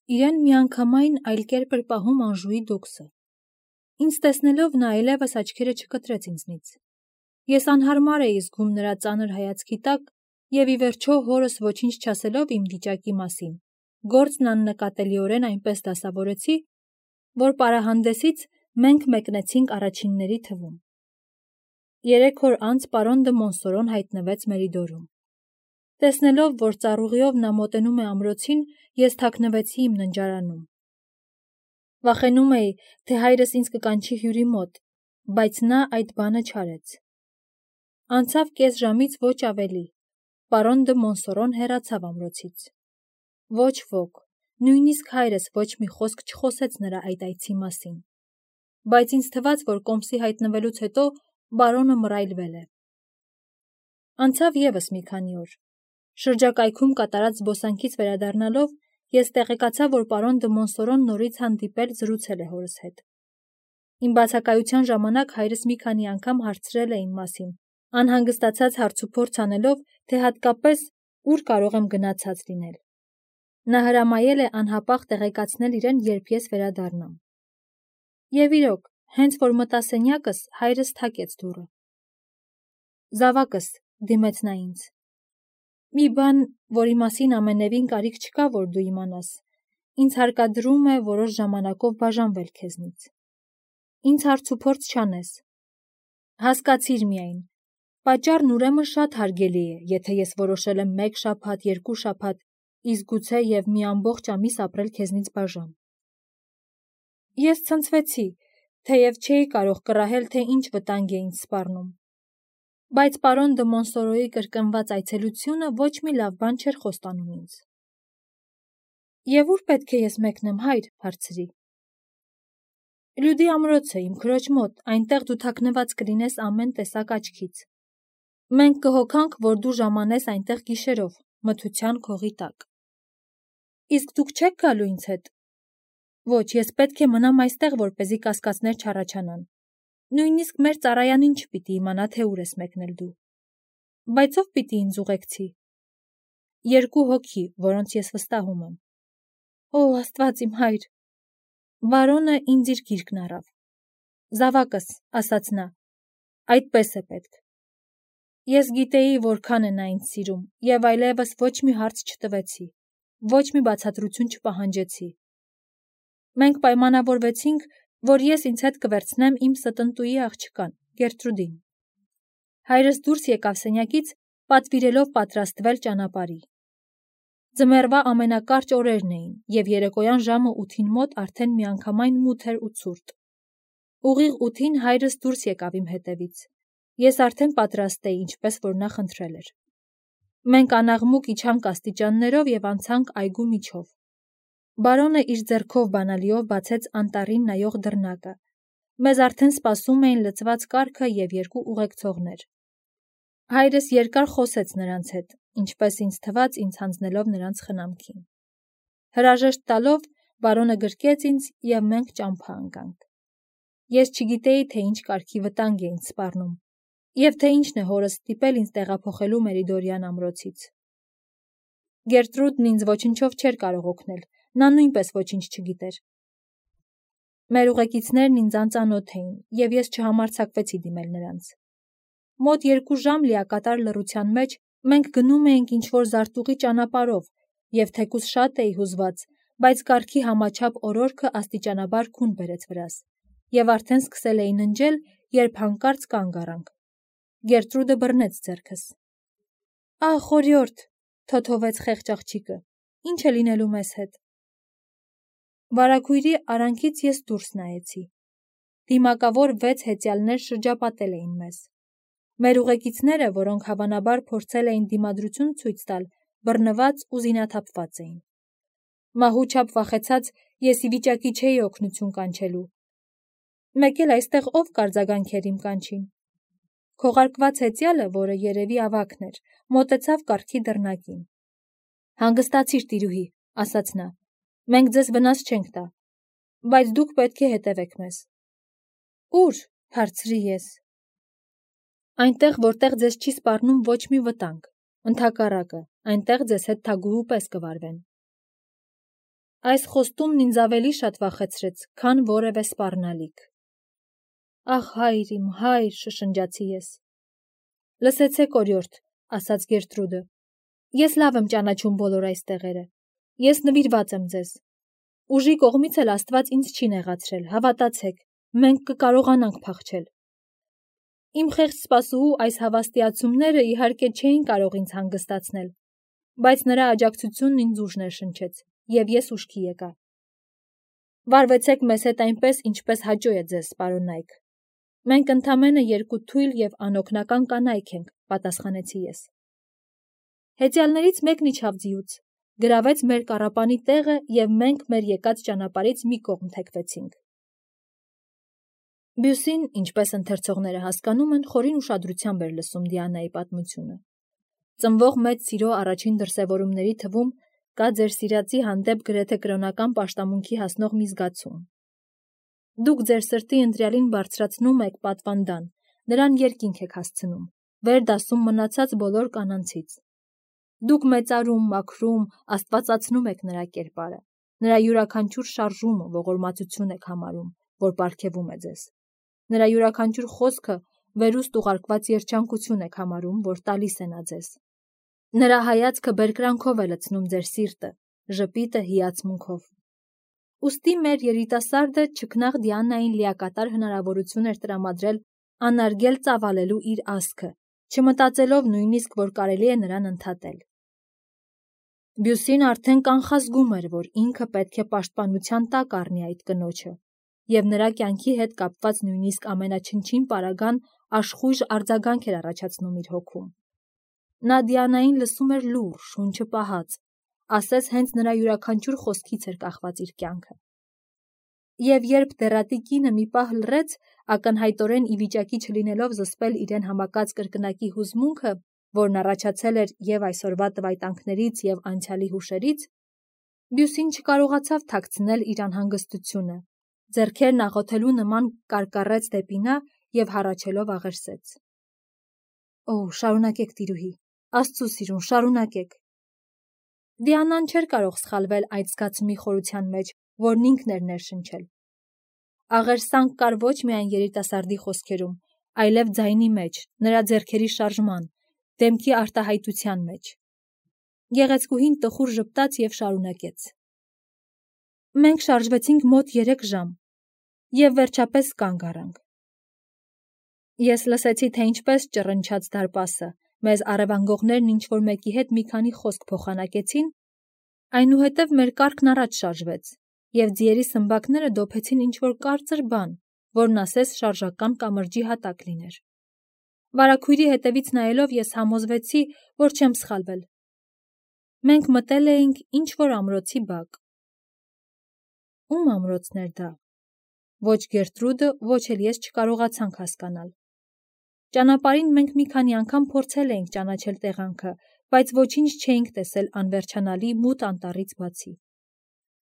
Իրեն միանգամայն այլ կերպ էր պահում Անժուի դոքսը։ Ինձ տեսնելով նա այլևս աչքերը չկտրեց ինձնից։ Ես անհարմար էի զգում նրա ծանր հայացքի տակ և ի վերջո հորս ոչինչ չասելով իմ վիճակի մասին, գործն աննկատելիորեն այնպես դասավորեցի, որ պարահանդեսից մենք մեկնեցինք առաջինների թվում։ 3 օր անց պարոն դը Մոնսորոն հայտնվեց Մերիդորում։ Տեսնելով, որ ծառուղիով նա մոտենում է ամրոցին, ես թաքնվեցի իմ ննջարանում։ Վախենում էի, թե հայրս ինձ կկանչի հյուրի մոտ, բայց նա այդ բանը չարեց։ Անցավ կես ժամից ոչ ավելի, պարոն դը Մոնսորոն հեռացավ ամրոցից։ Ոչ ոք, նույնիսկ հայրս ոչ մի խոսք չխոսեց նրա այդ այցի մասին, բայց ինձ թվաց, որ կոմսի հայտնվելուց հետո բարոնը մռայլվել է։ Անցավ ևս մի քանի օր։ Շրջակայքում կատարած զբոսանքից վերադառնալով, ես տեղեկացա, որ պարոն դը Մոնսորոն նորից հանդիպել զրուցել է հորս հետ։ Իմ բացակայության ժամանակ հայրս մի քանի անգամ հարցրել է իմ մասին, անհանգստացած հարցուփորձ անելով, թե հատկապես ուր կարող եմ գնացած լինել։ Նա հրամայել է անհապաղ տեղեկացնել իրեն, երբ ես վերադառնամ։ Եվ իրոք, հենց որ մտա սենյակս, հայրս թակեց դուռը։ Զավակս, դիմեց նա ինձ։ Մի բան, որի մասին ամենևին կարիք չկա, որ դու իմանաս, ինձ հարկադրում է որոշ ժամանակով բաժանվել քեզնից։ Ինձ հարցուփորձ չանես։ Հասկացիր միայն, պատճառն ուրեմն շատ հարգելի է, եթե ես որոշել եմ 1 շաբաթ, 2 շաբաթ, իսկ գուցե և մի ամբողջ ամիս ապրել քեզնից բաժան։ Ես ցնցվեցի, թեև չէի կարող կռահել, թե ինչ վտանգ է ինձ սպառնում։ Բայց պարոն դը Մոնսորոյի կրկնված այցելությունը ոչ մի լավ բան չէր խոստանում ինձ։ Եվ ուր պետք է ես մեկնեմ, հայր, հարցրի։ Լյուդի ամրոցը, իմ քրոջ մոտ, այնտեղ դու թաքնված կլինես ամեն տեսակ աչքից։ Մենք կհոգանք, որ դու ժամանես այնտեղ գիշերով, մթության քողի տակ։ Իսկ դուք չեք գալու ինձ հետ։ Ոչ, ես պետք է մնամ այստեղ, որպեսզի կասկածներ չառաջանան։ Նույնիսկ մեր ծառայանին չպիտի իմանա, թե ուր ես մեկնել դու։ Բայց ով պիտի ինձ ուղեկցի։ 2 հոգի, որոնց ես վստահում եմ։ Օ, Աստված իմ հայր։ Բարոնը ինձ իր գիրկն առավ։ Զավակս, ասաց նա, այդպես է պետք։ Ես գիտեի, որքան է նա ինձ սիրում, և այլևս ոչ մի հարց չտվեցի, ոչ մի բացատրություն չպահանջեցի։ Մենք պայմանավորվեցինք, որ ես ինձ հետ կվերցնեմ իմ ստնտուի աղջկան, Գերտրուդին։ Հայրս դուրս եկավ սենյակից, պատվիրելով պատրաստվել ճանապարհի։ Ձմեռվա ամենակարճ օրերն էին, և երեկոյան ժամը 8-ին մոտ արդեն միանգամայն մութ էր ու ցուրտ։ Ուղիղ 8-ին հայրս դուրս եկավ իմ հետևից։ Ես արդեն պատրաստ էի, ինչպես որ նա խնդրել էր։ Մենք անաղմուկ իջանք աստիճաններով և անցանք այգու միջով։ Բարոնը իր ձեռքով բանալիով բացեց անտառին նայող դռնակը։ Մեզ արդեն սպասում էին լցված կառքը և 2 ուղեկցողներ։ Հայրս երկար խոսեց նրանց հետ, ինչպես ինձ թվաց, ինձ հանձնելով նրանց խնամքին։ Հրաժեշտ տալով, բարոնը գրկեց ինձ, և մենք ճամփա ընկանք։ Ես չգիտեի, թե ինչ կարգի վտանգ է ինձ սպառնում, և թե ինչն է հորս ստիպել ինձ տեղափոխելու Մերիդորյան ամրոցից։ Գերտրուդն ինձ ոչնչով չէր կարող օգնել, նա նույնպես ոչինչ չգիտեր։ Մեր ուղեկիցներն ինձ անծանոթ էին, և ես չհամարձակվեցի դիմել նրանց։ Մոտ 2 ժամ լիակատար լռության մեջ մենք գնում էինք ինչ-որ զարտուղի ճանապարհով, և թեկուզ շատ էի հուզված, բայց կառքի համաչափ օրորքը աստիճանաբար քուն բերեց վրաս, և արդեն սկսել էի ննջել, երբ հանկարծ կանգ առանք։ Գերտրուդը բռնեց ձեռքս։ Ահ, օրիորդ, թոթովեց խեղճ աղջիկը, ինչ է լինելու մեզ հետ։ Վարագույրի արանքից ես դուրս նայեցի։ Դիմակավոր 6 հեծյալներ շրջապատել էին մեզ։ Մեր ուղեկիցները, որոնք հավանաբար փորձել էին դիմադրություն ցույց տալ, բռնված ու զինաթափված էին։ Մահու չափ վախեցած ես ի վիճակի չէի օգնություն կանչելու։ Մեկ էլ այստեղ ով կարձագանքեր իմ կանչին։ Քողարկված հեծյալը, որը երևի ավագն էր, մոտեցավ կառքի դռնակին։ Հանգստացիր, տիրուհի, ասաց նա, մենք ձեզ վնաս չենք տա, բայց դուք պետք է հետևեք մեզ։ Ուր, հարցրի ես։ Այնտեղ, որտեղ ձեզ չի սպառնում ոչ մի վտանգ, ընդհակառակը, այնտեղ ձեզ հետ թագուհու պես կվարվեն։ Այս խոստումն ինձ ավելի շատ վախեցրեց, քան որևէ սպառնալիք։ Ախ, հայր իմ, հայր, շշնջացի ես։ Լսեցեք, օրիորդ, ասաց Գերտրուդը։ Ես լավ եմ ճանաչում բոլոր այս տեղերը։ Ես նվիրված եմ ձեզ։ Ուժի կողմից էլ Աստված ինձ չի նեղացրել, հավատացեք, մենք կկարողանանք փախչել։ Իմ խեղճ սպասուհու այս հավաստիացումները իհարկե չէին կարող ինձ հանգստացնել, բայց նրա աջակցությունն ինձ ուժ ներշնչեց, և ես ուշքի եկա։ Վարվեցեք մեզ հետ այնպես, ինչպես հաճո է ձեզ, պարոն Նայք։ Մենք ընդամենը երկու թույլ և անօգնական կանայք ենք, պատասխանեցի ես։ Հեծյալներից մեկն իջավ ձիուց, գրավեց մեր կառապանի տեղը և մենք մեր եկած ճանապարհից մի կողմ թեքվեցինք։ Բյուսին, ինչպես ընթերցողները հասկանում են, խորին ուշադրությամբ էր լսում Դիանայի պատմությունը։ Ծնվող մեծ սիրո առաջին դրսևորումների թվում կա ձեր սիրածի հանդեպ գրեթե կրոնական պաշտամունքի հասնող մի զգացում։ Դուք ձեր սրտի ընտրյալին բարձրացնում եք պատվանդան, նրան երկինք եք հասցնում, վեր դասում մնացած բոլոր կանանցից։ Դուք մեծարում, մաքրում, աստվածացնում եք նրա կերպարը, նրա յուրաքանչյուր շարժումը ողորմածություն եք համարում, որ պարգևում է ձեզ։ Նրա յուրաքանչյուր խոսքը վերուստ ուղարկված երջանկություն եք համարում, որ տալիս է նա ձեզ։ Նրա հայացքը բերկրանքով է լցնում ձեր սիրտը, ժպիտը հիացմունքով։ Ուստի մեր երիտասարդը չքնաղ Դիանային լիակատար հնարավորություն էր տրամադրել անարգել ծավալելու իր ազգը, չմտածելով նույնիսկ, որ կարելի է նրան ընդհատել։ Բյուսին արդեն կանխազգում էր, որ ինքը պետք է պաշտպանության տակ առնի այդ կնոջը, և նրա կյանքի հետ կապված նույնիսկ ամենաչնչին պարագան աշխույժ արձագանք էր առաջացնում իր հոգում։ Նա Դիանային լսում էր լուռ, շունչը պահած, ասես հենց նրա յուրաքանչյուր խոսքից էր կախված իր կյանքը։ Եվ երբ դեռատի կինը մի պահ լռեց, ակնհայտորեն ի վիճակի չլինելով զսպել իրեն համակած կրկնակի հուզմունքը, որն առաջացել էր և այսօրվա տվայտանքներից և անցյալի հուշերից, Բյուսին չկարողացավ թաքցնել իր անհանգստությունը, ձեռքերն աղոթելու նման կարկառեց դեպի նա և հառաչելով աղերսեց. «Օ, շարունակեք, տիրուհի, Աստծու սիրուն, շարունակեք»։ Դիանան չէր կարող սխալվել այդ զգացումի խորության մեջ, որն ինքն էր ներշնչել։ Աղերսանք կար ոչ միայն երիտասարդի խոսքերում, այլև ձայնի մեջ, նրա ձեռքերի շարժման, դեմքի արտահայտության մեջ։ Գեղեցկուհին տխուր ժպտաց և շարունակեց. «Մենք շարժվեցինք մոտ 3 ժամ և վերջապես կանգ առանք։ Ես լսեցի, թե ինչպես ճռնչաց դարպասը, մեզ առևանգողներն ինչ-որ մեկի հետ մի քանի խոսք փոխանակեցին, այնուհետև մեր կառքն առաջ շարժվեց, և ձիերի սմբակները դոփեցին ինչ-որ կարծր բան, որն ասես շարժական կամրջի հատակ լիներ։ Վարագույրի հետևից նայելով ես համոզվեցի, որ չեմ սխալվել։ Մենք մտել էինք ինչ-որ ամրոցի բակ։ Ում ամրոցն էր դա։ Ոչ Գերտրուդը, ոչ էլ ես չկարողացանք հասկանալ։ Ճանապարհին մենք մի քանի անգամ փորձել էինք ճանաչել տեղանքը, բայց ոչինչ չէինք տեսել անվերջանալի մութ անտառից բացի։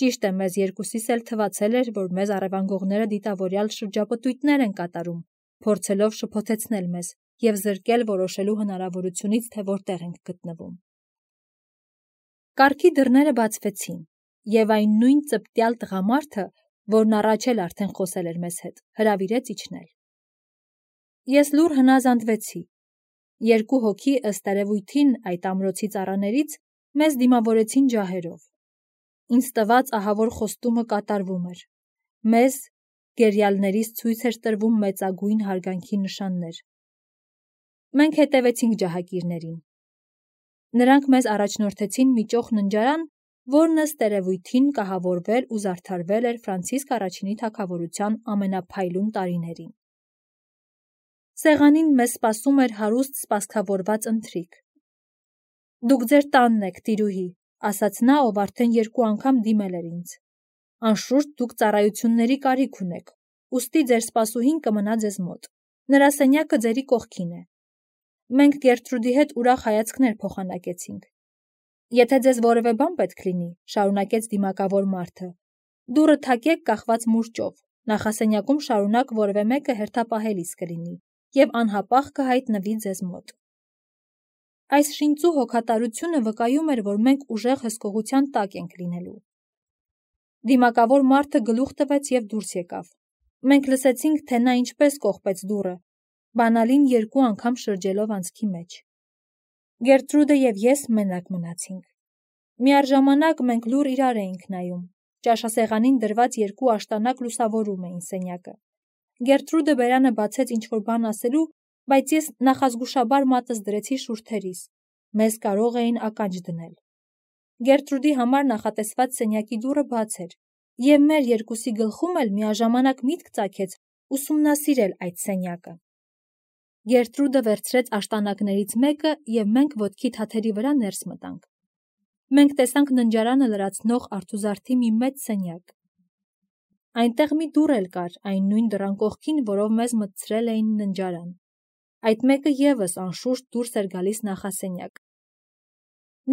Ճիշտ է, մեզ երկուսիս էլ թվացել էր, որ մեզ առևանգողները դիտավորյալ շրջապտույտներ են կատարում, փորձելով շփոթեցնել մեզ և զրկել որոշելու հնարավորությունից, թե որտեղ ենք գտնվում։ Կառքի դռները բացվեցին, և այն նույն ծպտյալ տղամարդը, որն առաջ էլ արդեն խոսել էր մեզ հետ, հրավիրեց իջնել։ Ես լուռ հնազանդվեցի։ Երկու հոգի, ըստ երևույթին, այդ ամրոցի ծառաներից մեզ դիմավորեցին ջահերով։ Ինձ տված ահավոր խոստումը կատարվում էր։ Մեզ, գերիալներից ցույց էր տրվում մեծագույն հարգանքի նշաններ։ Մենք հետևեցինք ջահակիրներին։ Նրանք մեզ առաջնորդեցին մի ճոխ ննջարան, որն ըստ երևույթին կահավորվել ու զարդարվել էր Ֆրանցիսկ I-ի թագավորության ամենափայլուն տարիներին։ Սեղանին մեզ սպասում էր հարուստ սպասքավորված ընթրիք։ «Դուք ձեր տանն եք, տիրուհի», ասաց նա, ով արդեն 2 անգամ դիմել էր ինձ։ «Անշուշտ դուք ծառայությունների կարիք ունեք, ուստի ձեր սպասուհին կմնա ձեզ մոտ։ Նրա սենյակը ձերի կողքին է։ Մենք Գերտրուդի հետ ուրախ հայացքներ փոխանակեցինք։ Եթե ձեզ որևէ բան պետք լինի, շարունակեց դիմակավոր մարդը, դուռը թակեք կախված մուրճով, նախասենյակում շարունակ որևէ մեկը հերթապահելիս կլինի և անհապաղ կհայտնվի ձեզ մոտ»։ Այս շինծու հոգատարությունը վկայում էր, որ մենք ուժեղ հսկողության տակ ենք լինելու։ Դիմակավոր մարդը գլուխ տվեց և դուրս եկավ։ Մենք լսեցինք, թե նա ինչպես կողպեց դուռը, բանալին 2 անգամ շրջելով անցքի մեջ։ Գերտրուդը և ես մենակ մնացինք։ Միառժամանակ մենք լուռ իրար էինք նայում։ Ճաշասեղանին դրված 2 աշտանակ լուսավորում էին սենյակը։ Գերտրուդը բերանը բացեց ինչ-որ բան ասելու, բայց ես նախազգուշաբար մատս դրեցի շուրթերիս։ Մեզ կարող էին ականջ դնել։ Գերտրուդի համար նախատեսված սենյակի դուռը բաց էր, և մեր երկուսի գլխում էլ միաժամանակ միտք ծագեց ուսումնասիրել այդ սենյակը։ Գերտրուդը վերցրեց աշտանակներից մեկը, և մենք ոտքի թաթերի վրա ներս մտանք։ Մենք տեսանք ննջարանը լրացնող արթուզարդի մի մեծ սենյակ։ Այնտեղ մի դուռ էլ կար, այն նույն դռան կողքին, որով մեզ մտցրել էին ննջարան։ Այդ մեկը ևս անշուշտ դուրս էր գալիս նախասենյակ։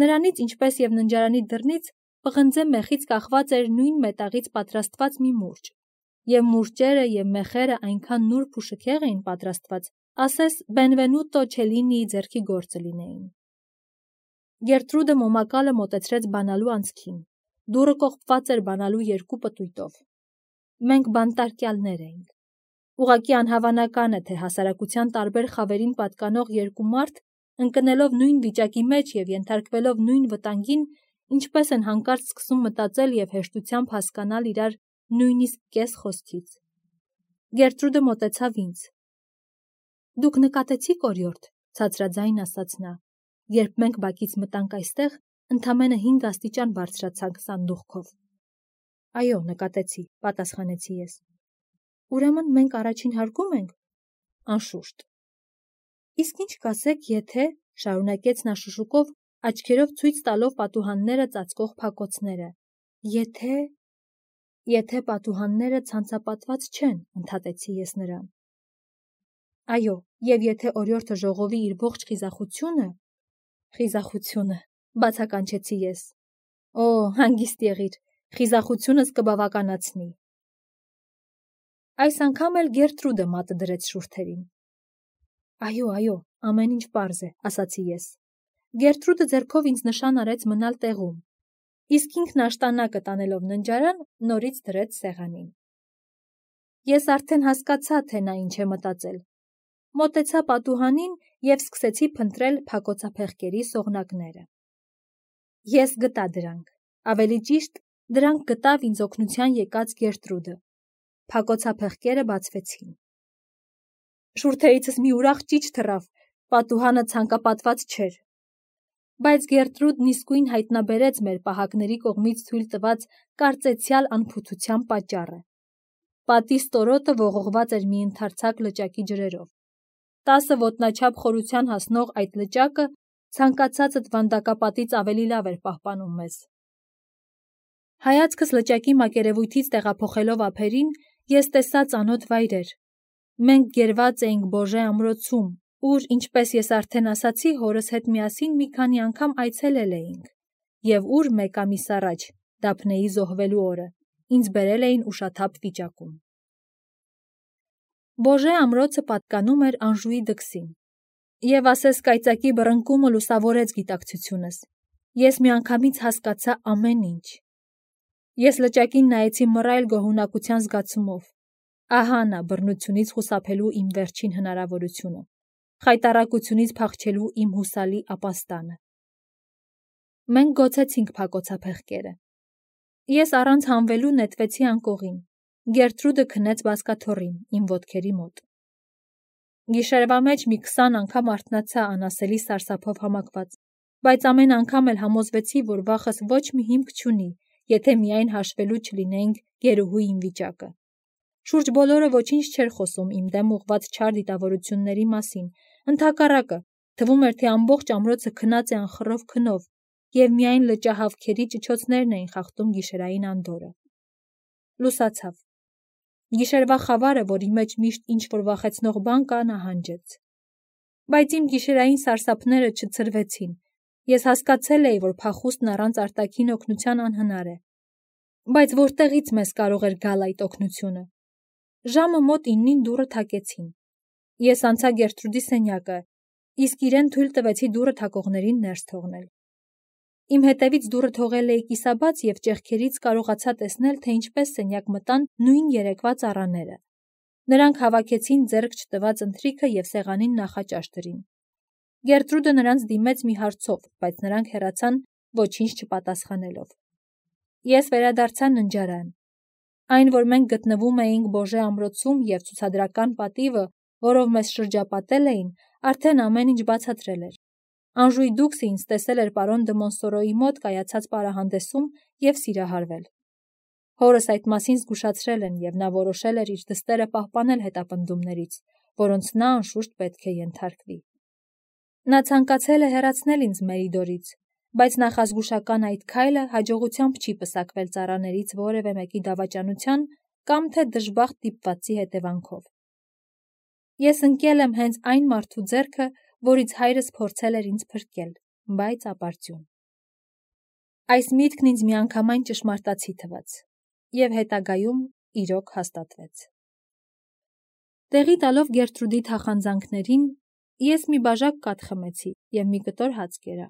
Նրանից, ինչպես և ննջարանի դռնից, պղնձե մեխից կախված էր նույն մետաղից պատրաստված մի մուրճ, և մուրճերը և մեխերը այնքան նուրբ ու շքեղ էին պատրաստված, ասես Բենվենուտո Չելինիի ձեռքի գործը լինեին։ Գերտրուդը մոմակալը մոտեցրեց բանալու անցքին։ Դուռը կողպված էր բանալու 2 պտույտով։ Մենք բանտարկյալներ էինք։ Ուղղակի անհավանական է, թե հասարակության տարբեր խավերին պատկանող 2 մարդ, ընկնելով նույն վիճակի մեջ և ենթարկվելով նույն վտանգին, ինչպես են հանկարծ սկսում մտածել և հեշտությամբ հասկանալ իրար նույնիսկ կես խոսքից։ Գերտրուդը մոտեցավ ինձ։ «Դուք նկատեցի՞ք, օրիորդ», ցածրաձայն ասաց նա։ «Երբ մենք բակից մտանք այստեղ, ընդամենը 5 աստիճան բարձրացանք սանդուղքով»։ «Այո, նկատեցի», պատասխանեցի ես։ «Ուրեմն մենք առաջին հարկում ենք»։ «Անշուշտ»։ «Իսկ ինչ կասեք, եթե», շարունակեց նա շշուկով, աչքերով ցույց տալով պատուհանները ծածկող փակոցները, «Եթե պատուհանները ցանցապատված չեն», ընդհատեցի ես նրան։ «Այո, և եթե օրիորդը ժողովի իր ողջ խիզախությունը»։ «Խիզախությունը», բացականչեցի ես։ «Օ, հանգիստ եղիր, խիզախությունս կբավականացնի»։ Այս անգամ էլ Գերտրուդը մատը դրեց շուրթերին։ «Այո, ամեն ինչ պարզ է», ասացի ես։ Գերտրուդը ձեռքով ինձ նշան արեց մնալ տեղում, իսկ ինքն աշտանակը տանելով ննջարան, նորից դրեց սեղանին։ Ես արդեն հասկացա, թե նա ինչ է մտածել։ Մոտեցա պատուհանին և սկսեցի փնտրել փակոցափեղկերի սողնակները։ Ես գտա դրանք, ավելի ճիշտ, դրանք գտավ ինձ օգնության եկած Գերտրուդը։ Փակոցափեղկերը բացվեցին։ Շուրթերիցս մի ուրախ ճիչ թռավ, պատուհանը ցանկապատված չէր։ Բայց Գերտրուդն իսկույն հայտնաբերեց մեր պահակների կողմից թույլ տված կարծեցյալ անփութության պատճառը։ Պատի ստորոտը ողողված էր մի ընդարձակ լճակի ջրերով։ 10 ոտնաչափ խորության հասնող այդ լճակը ցանկացածդ վանդակապատից ավելի լավ էր պահպանում մեզ։ Հայացքս լճակի մակերևույթից տեղափոխելով ափերին, ես տեսա ծանոթ վայրեր։ Մենք գերված էինք Բոժե ամրոցում, ուր, ինչպես ես արդեն ասացի, հորս հետ միասին մի քանի անգամ այցելել էինք, և ուր մեկ ամիս առաջ, Դափնեի զոհվելու օրը, ինձ բերել էին ուշաթափ վիճակում։ Բոժե ամրոցը պատկանում էր Անժուի դքսին, և ասես կայծակի բռնկումը լուսավորեց գիտակցությունս։ Ես միանգամից հասկացա ամեն ինչ։ Ես լճակին նայեցի մռայլ գոհունակության զգացումով։ Ահա նա բռնությունից խուսափելու իմ վերջին հնարավորությունը, խայտառակությունից փախչելու իմ հուսալի ապաստանը։ Մենք գոցեցինք փակոցափեղկերը։ Ես առանց հանվելու նետվեցի անկողին։ Գերտրուդը քնեց բազկաթոռին, իմ ոտքերի մոտ։ Գիշերվա մեջ մի 20 անգամ արթնացա անասելի սարսափով համակված, բայց ամեն անգամ էլ համոզվեցի, որ վախս ոչ մի հիմք չունի, եթե միայն հաշվելու չլինեինք գերուհու իմ վիճակը։ Շուրջ բոլորը ոչինչ չէր խոսում իմ դեմ ուղղված չար դիտավորությունների մասին, ընդհակառակը, թվում էր, թե ամբողջ ամրոցը քնած է անխռով քնով, և միայն լճահավքերի ճչոցներն էին խախտում գիշերային անդորրը։ Լուսացավ։ Գիշերվա խավարը, որի մեջ միշտ ինչ-որ վախեցնող բան կա, նահանջեց։ Բայց իմ գիշերային սարսափները չցրվեցին։ Ես հասկացել էի, որ փախուստն առանց արտաքին օգնության անհնար է։ Բայց որտեղից մեզ կարող էր գալ այդ օգնությունը։ Ժամը մոտ 9-ին դուռը թակեցին։ Ես անցա Գերտրուդի սենյակը, իսկ իրեն թույլ տվեցի դուռը թակողներին ներս թողնել։ Իմ հետևից դուռը թողել էի կիսաբաց և ճեղքերից կարողացա տեսնել, թե ինչպես սենյակ մտան նույն երեկվա ծառաները։ Նրանք հավաքեցին ձեռք չտված ընթրիքը և սեղանին նախաճաշ դրին։ Գերտրուդը նրանց դիմեց մի հարցով, բայց նրանք հեռացան ոչինչ չպատասխանելով։ Ես վերադարձա ննջարան։ Այն, որ մենք գտնվում էինք Բոժե ամրոցում և ցուցադրական պատիվը, որով մեզ շրջապատել էին, արդեն ամեն ինչ բացատրել էր։ Անժուй դուքս ինձ տեսել էր պարոն դը Մոնսորոյի մոտ կայացած պարահանդեսում և սիրահարվել։ Հորս այդ մասին զգուշացրել են, և նա որոշել էր իր դստերը պահպանել հետապնդումներից, որոնց նա անշուշտ պետք է ենթարկվի։ Նա ցանկացել է հեռացնել ինձ Մերիդորից, բայց նախազգուշական այդ քայլը հաջողությամբ չի պսակվել ծառաներից որևէ մեկի դավաճանության կամ թե դժբախտ դիպվածի հետևանքով։ Ես ընկել եմ հենց այն մարդու ձեռքը, որից հայրս փորձել էր ինձ փրկել, բայց ապարդյուն։ Այս միտքն ինձ միանգամայն ճշմարտացի թվաց, և հետագայում իրոք հաստատվեց։ Տեղի տալով Գերտրուդի թախանձանքներին, ես մի բաժակ կաթ խմեցի և մի կտոր հաց կերա։